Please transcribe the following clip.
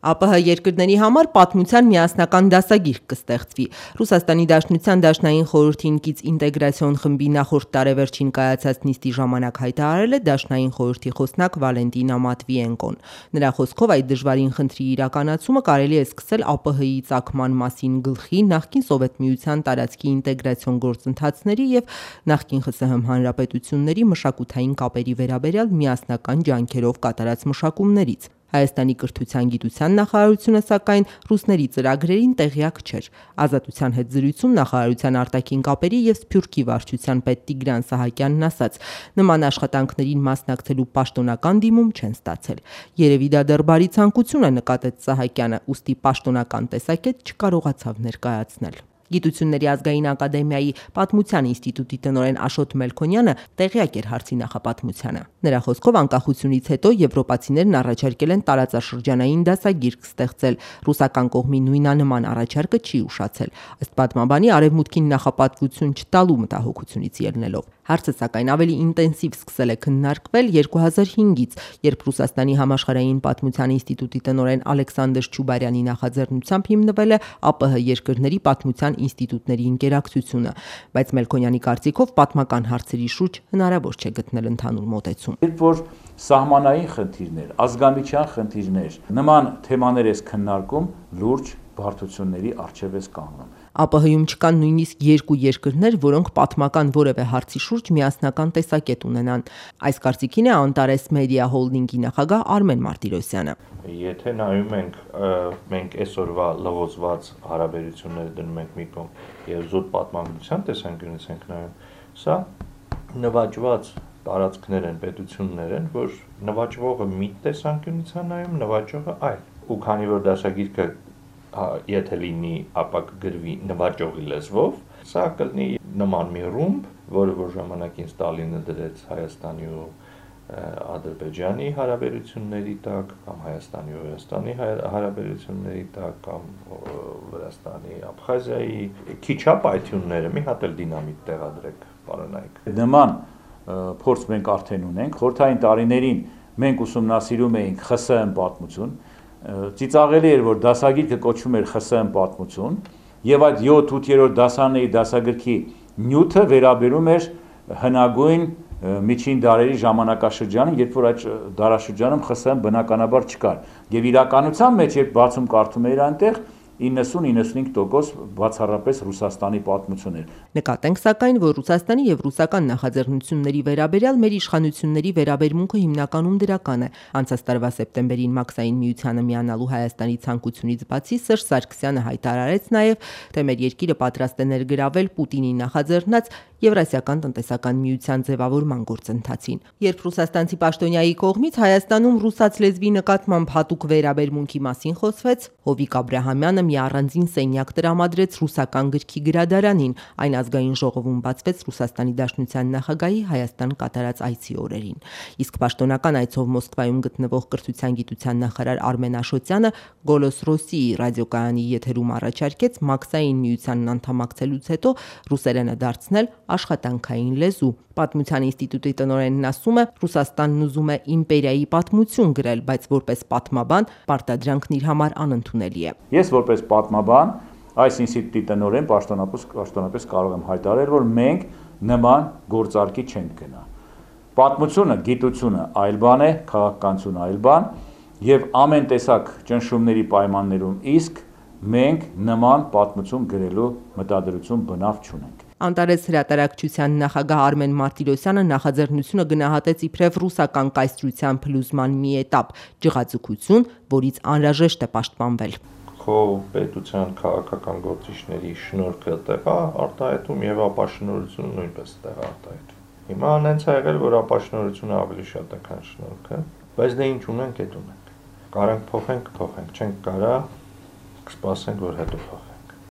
ԱՊՀ երկրների համար պատմության միասնական դասագիրք կստեղծվի։ Ռուսաստանի Դաշնության Դաշնային խորհրդին կից ինտեգրացիոն խմբի նախորդ տարեվերջին կայացած նիստի ժամանակ հայտարարել է Դաշնային խորհրդի խոսնակ Վալենտինա Մատվիենկոն։ Նրա խոսքով այդ դժվարին խնդրի իրականացումը կարելի է սկսել ԱՊՀ-ի ծագման մասին գլխի, նախկին Սովետ Միության տարածքի ինտեգրացիոն գործընթացների եւ նախկին ԽՍՀՄ հանրապետությունների մշակութային կապերի վերաբերյալ միասնական ջանքերով կատարած մշակումներից։ Հայաստանի կրթության գիտության նախարարությունը սակայն ռուսների ծրագրերին տեղյակ չէր։ Ազատության հետ զրույցում նախարարության արտաքին կապերի եւ Սփյուռքի վարչության պետ Տիգրան Սահակյանն ասաց. նման աշխատանքներին մասնակցելու պաշտոնական դիմում չեն ստացել։ Երևի դա դեռ բարի ցանկություն է, նկատեց Սահակյանը, ուստի պաշտոնական տեսակետ չկարողացավ ներկայացնել։ Գիտությունների ազգային ակադեմիայի պատմության ինստիտուտի տնօրեն Աշոտ Մելքոնյանը տեղյակ էր հարցի նախապատմությանը։ Նրա խոսքով անկախությունից հետո եվրոպացիներն առաջարկել են տարածաշրջանային դասագիրք ստեղծել։ Ռուսական կողմի նույնանման առաջարկը չի ուշացել։ Ըստ պատմաբանի արևմուտքին նախապատվություն չտալու մտահոգությունից ելնելով։ Հարցը սակայն ավելի ինտենսիվ սկսել է քննարկվել 2005-ից, երբ Ռուսաստանի համաշխարհային պատմության ինստիտուտի տնօրեն Ալեքսանդր Չուբարյանի նախաձեռնությամբ հիմնվել է ԱՊՀ երկրների պատմության ինստիտուտների ինտերակցիությունը, բայց Մելքոնյանի կարծիքով պատմական հարցերի շուրջ հնարավոր չէ գտնել ընդհանուր մոտեցում։ Երբ որ սահմանային խնդիրներ, ազգամիջյան խնդիրներ, նման թեմաներ ես քննարկում, լուրջ բարդությունների առջև ես կանգնում։ ԱՊՀ-ում չկան նույնիսկ երկու երկրներ, որոնք պատմական որևէ հարցի շուրջ միասնական տեսակետ ունենան։ Այս կարծիքին է Անտարես Մեդիա Հոլդինգի նախագահ Արմեն Մարտիրոսյանը։ Եթե նայում ենք, մենք այսօրվա լղոզված հարաբերությունները դնում ենք մի կողմ եւ զուտ պատմագրության տեսանկյունից ենք նայում, սա նվաճված տարածքներ են, պետություններ են, որ նվաճվողը մի տեսանկյունից է նայում, նվաճողը այլ։ Ու քանի որ դասագիրքը եթե լինի, ապա կգրվի նվաճողի լեզվով, սա կլինի նման մի ռումբ, որը որ ժամանակին Ստալինը դրեց Հայաստանի ու Ադրբեջանի հարաբերությունների տակ, կամ Հայաստանի ու Վրաստանի հարաբերությունների տակ, կամ Վրաստանի, Աբխազիայի, քիչ ապայթյունները մի հատ էլ դինամիտ տեղադրեք, պարոնայք։ Նման փորձ մենք արդեն ունենք, խորհրդային տարիներին մենք ուսումնասիրում էինք ԽՍՀՄ պատմություն, ծիծաղելի էր, որ դասագիրքը կոչվում էր ԽՍՀՄ պատմություն, եւ այդ 7-8-րդ դասարանների դասագրքի նյութը վերաբերում էր հնագույն միջին դարերի ժամանակաշրջանը, երբ որ այդ դարաշրջանում ԽՍՀՄ բնականաբար չկար։ Եվ իրականության մեջ երբ բացում կարդում էր այնտեղ 90-95% բացառապես Ռուսաստանի պատմություն էր։ Նկատենք սակայն, որ Ռուսաստանի եւ ռուսական նախաձեռնությունների վերաբերյալ մեր իշխանությունների վերաբերմունքը հիմնականում դրական է։ Անցած տարվա սեպտեմբերին Մաքսային միությանը միանալու Հայաստանի ցանկությունից բացի Սերժ Սարգսյանը հայտարարեց նաեւ, թե մեր երկիրը պատրաստ է ներգրավել Պուտինի նախաձեռնած Եվրասիական տնտեսական միության ձևավորման գործընթացին։ Երբ ռուսաստանցի պաշտոնյայի կողմից Հայաստանում ռուսաց լեզվի նկատմամբ հատուկ վերաբերմունքի մասին խոսվեց, Հովիկ Աբրահամյանը մի առանձին սենյակ տրամադրեց ռուսական գրքի գրադարանին, այն ազգային ժողովում բացվեց Ռուսաստանի Դաշնության նախագահի Հայաստան կատարած այցի օրերին։ Իսկ պաշտոնական այցով Մոսկվայում գտնվող կրթության գիտության նախարար Արմեն Աշոտյանը Գոլոս Ռոսիի ռադիոկայանի եթերում առաջարկեց Մաքսային միությանն անդամակցելուց հետո ռուսերենը դարձնել աշխատանքային լեզու։ Պատմության ինստիտուտի տնօրենն ասում է, Ռուսաստանն ուզում է իմպերիայի պատմություն գրել, բայց որպես պատմաբան պարտադրանքն իր համար անընդունելի է։ Ես որպես պատմաբան այս ինստիտուտի տնօրեն պաշտոնապես կարող եմ հայտարարել, որ մենք նման գործարքի չենք գնա։ Պատմությունը, գիտությունը այլ բան է, քաղաքականությունը այլ բան, եւ ամեն տեսակ ճնշումների պայմաններում իսկ մենք նման պատմություն գրելու մտադրություն բնավ չունենք։ Անտարես հրատարակչության նախագահ Արմեն Մարտիրոսյանը նախաձեռնությունը գնահատեց իբրև ռուսական կայսրության փլուզման մի էտապ, ջղաձգություն, որից անհրաժեշտ է պաշտպանվել։ Քո պետության քաղաքական գործիչների շնորհքը տեղ արտահայտում եւ ապաշնորհությունը նույնպես տեղ արտահայտում։ Հիմա հենց ա եղել, որ ապաշնորհությունը ավելի շատ է, քան շնորհքը, բայց դե ինչ ունենք, այդ ունենք։ Կարանք փոխենք, չենք կարա, կսպասենք, որ հետո փոխենք։